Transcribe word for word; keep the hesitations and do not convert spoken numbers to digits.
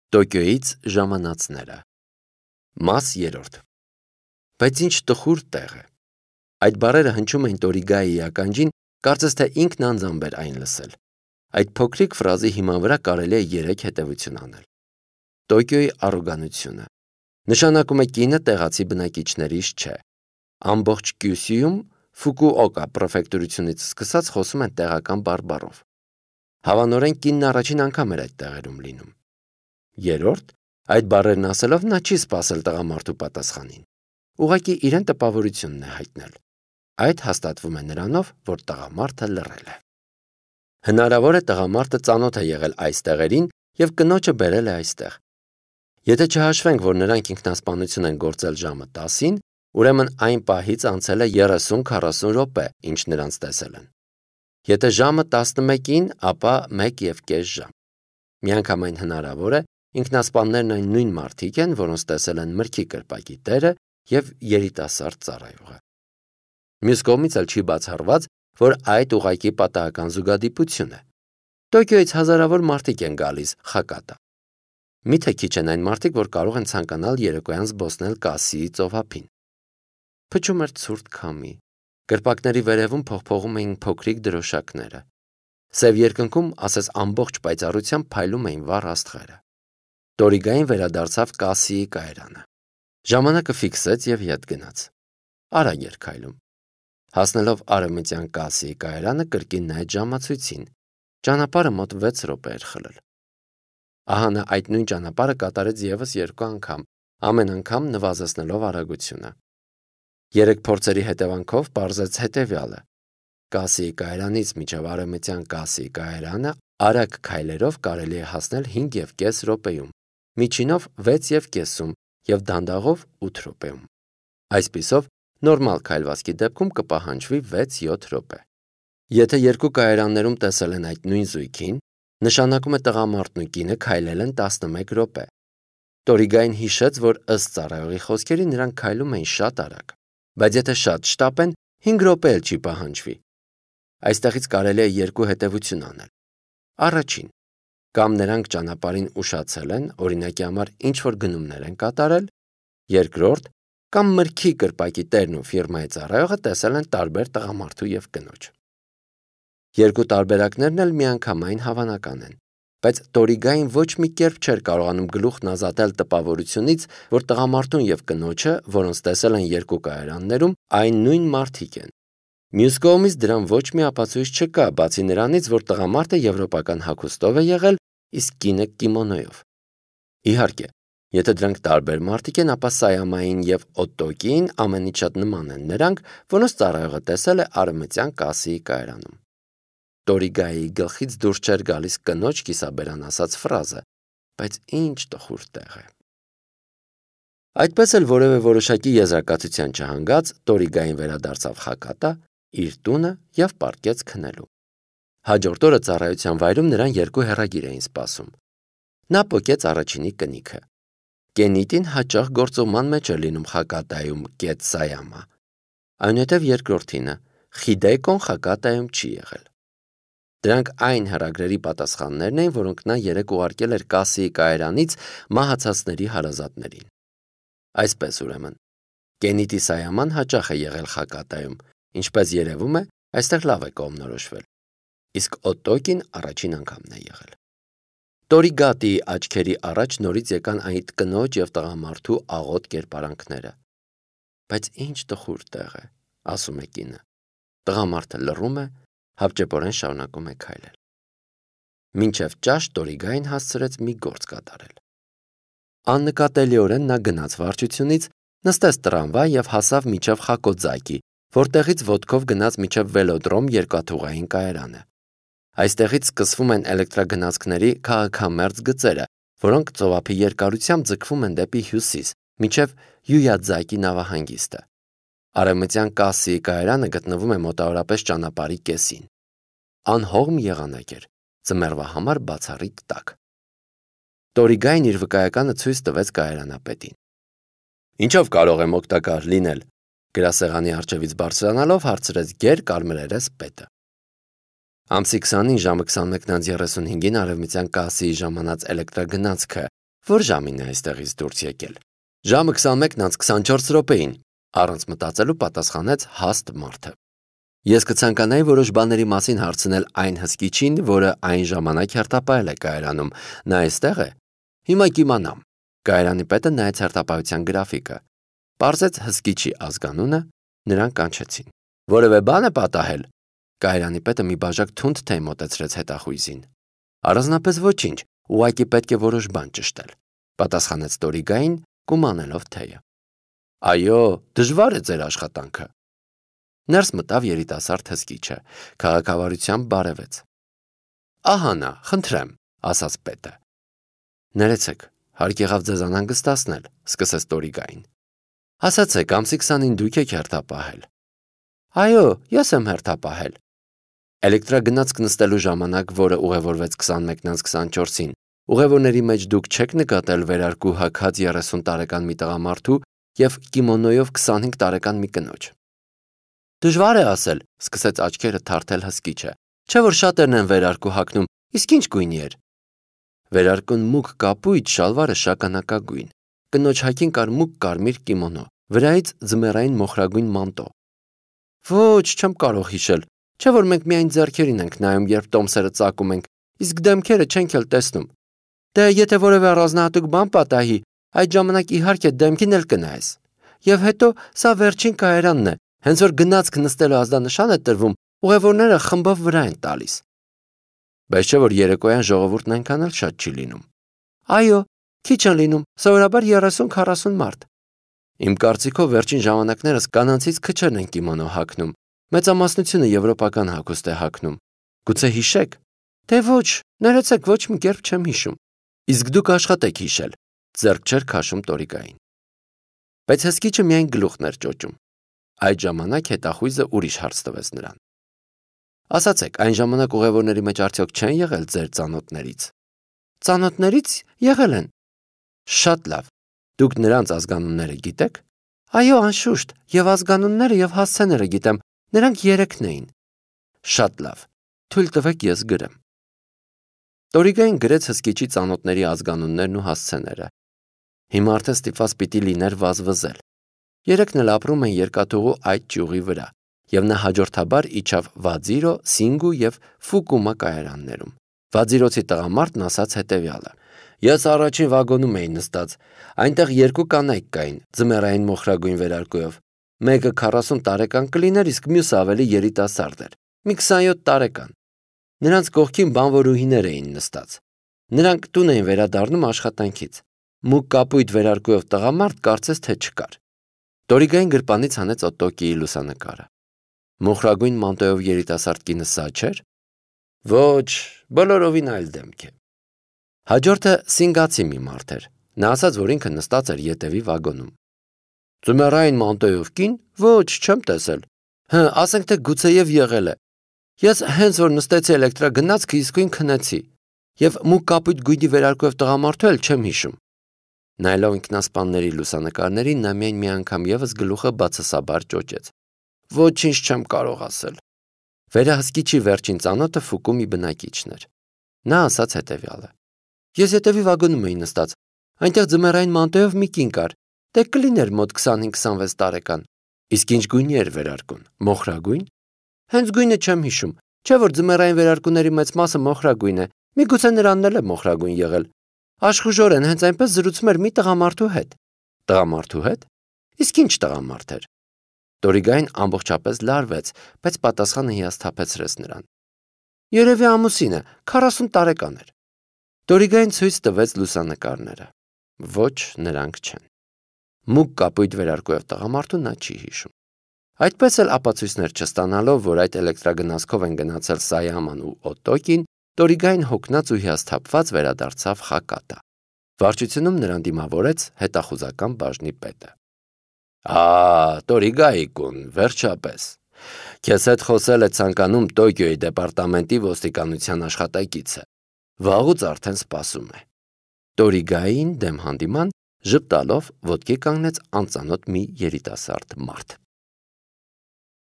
Տոկիոյից ժամանածները։ Մաս երրորդ։ Բայց ինչ տխուր տեղ է։ Այդ բառերը հնչում էին Տորիգայի ականջին, կարծես թե ինքն անձամբ էր այն լսել։ Այդ փոքրիկ ֆրազի հիման վրա կարելի է երեք հետևություն անել։ Տոկիոյի առոգանությունը նշանակում է կինը տեղացի բնակիչներից չէ։ Ամբողջ Կյուսյուում Ֆուկուօկա պրեֆեկտուրությունից սկսած խոսում են տեղական բարբառով։ Հավանորեն կինն առաջին անգամ էր այդ տեղերում լինում։ Երրորդ, այդ բառերն ասելով նա չի սպասել տղամարդու պատասխանին։ Ուղղակի իրեն տպավորությունն է հայտնել։ Այդ հաստատվում է նրանով, որ տղամարդը լռել է։ Հնարավոր է տղամարդը ծանոթ է եղել այս տեղերին եւ կնոջը բերել է այստեղ։ Եթե չհաշվենք, որ նրանք ինքնասպանություն են գործել ժամը տասին, ուրեմն այն պահից անցել է երեսուն-քառասուն րոպե, ինչ նրանց տեսել են։ Եթե ժամը տասնմեկին, ապա մեկ եւ կես ժամ։ Միանգամայն հնարավոր է ինքնասպաններն այն նույն մարդիկ են, որոնց տեսել են մրգի կրպակի տերը եւ երիտասարդ ծառայողը։ Մյուս կողմից էլ չի բացառված, որ այդ ուղղակի պատահական զուգադիպություն է։ Տոկիոյից հազարավոր մարդիկ են գալիս Խակատա։ Միթե քիչ են այն մարդիկ, որ կարող են ցանկանալ երեկոյան զբոսնել Կասիի ծովափին։ Փչում էր ցուրտ քամի։ Կրպակների վերևում փողփողում էին փոքրիկ դրոշակները։ Սև երկնքում, ասես ամբողջ պայծառությամբ փայլում էին վառ աստղերը։ Տորիգային վերադարձավ Կասիի կայարանը։ Ժամանակը ֆիքսեց եւ ետ գնաց։ Արագ էր քայլում։ Հասնելով արևմտյան Կասիի կայարանը կրկին նայեց ժամացույցին։ Ճանապարհը մոտ վեց րոպե էր խլել։ Ահա նա այդ նույն ճանապարհը կատարեց եւս երկու անգամ, ամեն անգամ նվազեցնելով արագությունը։ Երեք փորձերի հետևանքով պարզեց հետևյալը. Կասիի կայարանից մինչև արևմտյան Կասիի կայարանը արագ քայլերով կարելի է հասնել հինգ եւ կես րոպեում, միջինով վեց եւ կեսում եւ դանդաղով ութ րոպեում։ Այսպիսով նորմալ քայլվածքի դեպքում կպահանջվի վեց-յոթ րոպե։ Եթե երկու կայարաններում տեսել են այդ նույն զույգին, նշանակում է տղամարդն ու կինը քայլել են տասնմեկ րոպե։ Տորիգային հիշեց, որ ըստ ծառայողի խոսքերի նրանք քայլում էին շատ արագ, բայց եթե շատ շտապեն, հինգ րոպե էլ չի պահանջվի։ Այստեղից կարելի է երկու հետևություն անել։ Առաջին, կամ նրանք ճանապարհին ուշացել են, օրինակի համար ինչ-որ գնումներ են կատարել, երկրորդ, կամ մրգի կրպակի տերն ու ֆիրմայի ծառայողը տեսել են տարբեր տղամարդու եւ կնոջ։ Երկու տարբերակներն էլ միանգամայն հավանական են, բայց Տորիգային ոչ մի կերպ չէր կարողանում գլուխն ազատել տպավորությունից, որ տղամարդուն եւ կնոջը, որոնց տեսել են երկու կայարաններում, այն նույն մարդիկ են։ Մյուս կողմից դրան ոչ մի ապացույց չկա, բացի նրանից, որ տղամարդը եվրոպական հագուստով է եղել, իսկ կինը կիմոնոյով։ Իհարկե, եթե դրանք տարբեր մարդիկ են, ապա Սայամային եւ Օտոկիին ամենից շատ նման են նրանք, որոնց ծառայողը տեսել է արևմտյան Կասիի կայարանում։ Տորիգայի գլխից դուրս չէր գալիս կնոջ կիսաբերան ասած ֆրազը, բայց ինչ տխուր տեղ է։ Այդպես էլ որևէ որոշակի եզրակացության չհանգած Տորիգային վերադարձավ Խակատա իր տունը եւ պառկեց քնելու։ Հաջորդ օրը ծառայության վայրում նրան երկու հեռագիր էին սպասում։ Նա պոկեց առաջինի կնիքը։ Կենիտին հաճախ գործողման մեջ էր լինում Խակատայում կետ Սայամա։ Այնուհետև երկրորդինը Խիդեկոն Խակատայում չի եղել։ Դրանք այն հեռագրերի պատասխաններն էին, որոնք նա երեք ուղարկել էր Կասիի կայարանից մահացածների հարազատներին։ Այսպես ուրեմն, Կենիտի Սայաման հաճախ է եղել Խակատայում, ինչպես երևում է, այստեղ լավ է կողմնորոշվել։ Իսկ Օտոկին առաջին անգամն է եղել։ Տորիգատիի աչքերի առաջ նորից եկան այդ կնոջ եւ տղամարդու աղոտ կերպարանքները։ Բայց ինչ տխուր տեղ է, ասում է կինը։ Տղամարդը լռում է, հապճեպորեն շարունակում է քայլել։ Մինչև ճաշ Տորիգային հասցրեց մի գործ կատարել։ Աննկատելիորեն նա գնաց վարչությունից, նստեց տրամվայ եւ հասավ միջև Խակոձակի, որտեղից ոտքով գնաց միջև Վելոդրոմ երկաթուղային կայարանը։ Այստեղից սկսվում են էլեկտրագնացքների քաղաքամերձ գծերը, որոնք ծովափի երկարությամբ ձգվում են դեպի հյուսիս, մինչև Յույադզակի նավահանգիստը։ Արևմտյան Կասիի կայարանը գտնվում է մոտավորապես ճանապարհի կեսին։ Անհողմ եղանակ էր, ձմեռվա համար բացառիկ տաք։ Տորիգային իր վկայականը ցույց տվեց կայարանապետին։ Ինչով կարող եմ օգտակար լինել, գրասեղանի առջևից բարձրանալով հարցրեց գեր կարմրերես պետը։ Ամսի քսանին ժամը քսանմեկն անց երեսունհինգին արևմտյան Կասիի ժամանած էլեկտրագնացքը, Որ ժամին է այստեղից դուրս եկել։ Ժամը քսանմեկն անց քսանչորս րոպեին, առանց մտածելու պատասխանեց հաստ մարդը։ Ես կցանկանայի որոշ բաների մասին հարցնել այն հսկիչին, որը այն ժամանակ հերթապահել է կայարանում։ Նա այստեղ է։ Հիմա կիմանամ։ Կայարանի պետը նայեց հերթապահության գրաֆիկը։ Պարզեց հսկիչի ազգանունը, նրան կանչեցին։ Որևէ բան է պատահել։ Կայարանի պետը մի բաժակ թունդ թեյ մոտեցրեց հետախույզին։ Առանձնապես ոչինչ, ուղղակի պետք է որոշ բան ճշտել, պատասխանեց Տորիգային, կումանելով թեյը։ Այո, դժվար է ձեր աշխատանքը։ Ներս մտավ երիտասարդ հսկիչը, քաղաքավարությամբ բարևեց։ Ահա նա, խնդրեմ, ասաց պետը։ Ներեցեք, հարկ եղավ ձեզ անհանգստացնել, սկսեց Տորիգային։ Ասացեք, ամսի քսանին դուք եք հերթապահել։ Այո, ես եմ հերթապահել։ Էլեկտրագնացք նստելու ժամանակ, որը ուղևորվեց քսանմեկն անց քսանչորսին, ուղևորների մեջ դուք չեք նկատել վերարկու հագած երեսուն տարեկան մի տղամարդու և կիմոնոյով քսանհինգ տարեկան մի կնոջ։ Դժվար է ասել, սկսեց աչքերը թարթել հսկիչը, չէ որ շատերն են վերարկու հագնում, իսկ ինչ գույնի էր։ Վերարկուն մուգ կապույտ, շալվարը շագանակագույն, կնոջ հագին կար մուգ կարմիր կիմոնո, վրայից ձմեռային մոխրագույն մանտո։ Ոչ, չեմ կարող հիշել, չէ որ մենք միայն ձեռքերին ենք նայում, երբ տոմսերը ծակում ենք, իսկ դեմքերը չենք էլ տեսնում։ Դե եթե որևէ առանձնահատուկ բան պատահի, այդ ժամանակ իհարկե դեմքին էլ կնայես։ Եվ հետո սա վերջին կայարանն է, հենց որ գնացք նստելու ազդանշան է տրվում, ուղևորները խմբով վրա են տալիս։ Բայց չէ որ երեկոյան ժողովուրդն այնքան էլ շատ չի լինում։ Այո, քիչ են լինում, սովորաբար երեսուն-քառասուն մարդ։ Իմ կարծիքով վերջին ժամանակներս կանանցից քչերն են կիմոնո հագնում, մեծամասնությունը եվրոպական հագուստ է հագնում։ Գուցե հիշեք։ Դե ոչ, ներեցեք, ոչ մի կերպ չեմ հիշում։ Իսկ դուք աշխատեք հիշել, ձեռք չէր քաշում Տորիգային։ Բայց հսկիչը միայն գլուխն էր ճոճում։ Այդ ժամանակ հետախույզը ուրիշ հարց տվեց նրան։ Ասացեք, այն ժամանակ ուղևորների մեջ արդյոք չեն եղել ձեր ծանոթներից։ Ծանոթներից եղել են։ Շատ լավ։ Դուք նրանց ազգանունները գիտեք։ Այո, անշուշտ, եւ ազգանունները եւ հասցեները գիտեմ, նրանք երեքն էին։ Շատ լավ։ Թույլ տվեք ես գրեմ։ Տորիգային գրեց հսկիչի ծանոթների ազգանուններն ու հասցեները։ Հիմա արդեն ստիպված պիտի լիներ վազվզել։ Երեքն էլ ապրում են երկաթուղու այդ ճյուղի վրա, եւ նա հաջորդաբար իջավ Վաձիրո, Սինգու եւ Ֆուկումա կայարաններում։ Վաձիրոցի տղամարդն ասաց հետեւյալը. Ես առաջին վագոնում էի նստած, այնտեղ երկու կանայք կային, ձմեռային մոխրագույն վերարկուով։ Մեկը քառասուն տարեկան կլիներ, իսկ մյուսը ավելի երիտասարդ էր, մի քսանյոթ տարեկան։ Նրանց կողքին բանվորուհիներ էին նստած։ Նրանք տուն էին վերադառնում աշխատանքից։ Մուգ կապույտ վերարկուով տղամարդ կարծես թե չկար։ Տորիգային գրպանից հանեց Օտոկիի լուսանկարը։ Մոխրագույն մանտոյով երիտասարդ կինը սա չէր։ Ոչ, բոլորովին այլ դեմք է։ Հաջորդը սինգացի մի մարդ էր։ Նա ասաց, որ ինքը նստած էր ետևի վագոնում։ Ձմեռային մանտոյով կին, ոչ, չեմ տեսել։ Հը, ասենք թե գուցեև եղել է։ Ես հենց որ նստեցի էլեկտրագնացքը իսկույն քնեցի։ Եվ մուգ կապույտ գույնի վերարկուով տղամարդու էլ չեմ հիշում։ Նայելով ինքնասպանների լուսանկարներին, նա միայն մի անգամ ևս գլուխը բացասաբար ճոճեց։ Ոչինչ չեմ կարող ասել։ Վերահսկիչի վերջին ծանոթը Ֆուկումի բնակիչն էր։ Նա ասաց հետևյալը. Ես հետևի վագոնում էի նստած։ Այնտեղ ձմեռային մանտոյով մի կին կար։ Դե կլիներ մոտ քսանհինգ քսանվեց տարեկան։ Իսկ ինչ գույնի էր վերարկուն։ Մոխրագույն։ Հենց գույնը չեմ հիշում։ Չէ որ ձմեռային վերարկուների մեծ մասը մոխրագույն է։ Միգուցե նրանն էլ է մոխրագույն եղել։ Աշխուժորեն հենց այնպես զրուցում էր մի տղամարդու հետ։ Տղամարդու հետ։ Իսկ ինչ տղամարդ էր։ Տորիգային ամբողջապես լարվեց, բայց պատասխանը հիասթափեցրեց նրան։ Երևի ամուսինը, քառասուն տարեկան էր։ Տորիգային ցույց տվեց լուսանկարները։ Ոչ, նրանք չեն։ Մուգ կապույտ վերարկուով տղամարդու նա չի հիշում։ Այդպես էլ ապացույցներ չստանալով, որ այդ էլեկտրագնացքով են գնացել Սայաման ու Օտոկին, Տորիգային հոգնած ու հիասթափված վերադարձավ Խակատա։ Վարչությունում նրան դիմավորեց հետախուզական բաժնի պետը։ Ա, Տորիգայի-կուն, վերջապես։ Քեզ հետ խոսել է ցանկանում Տոկիոյի դեպարտամենտի ոստիկանության աշխատակիցը։ Վաղուց արդեն սպասում է։ Տորիգային դեմ հանդիման ժպտալով ոտքի կանգնեց անծանոթ մի երիտասարդ մարդ։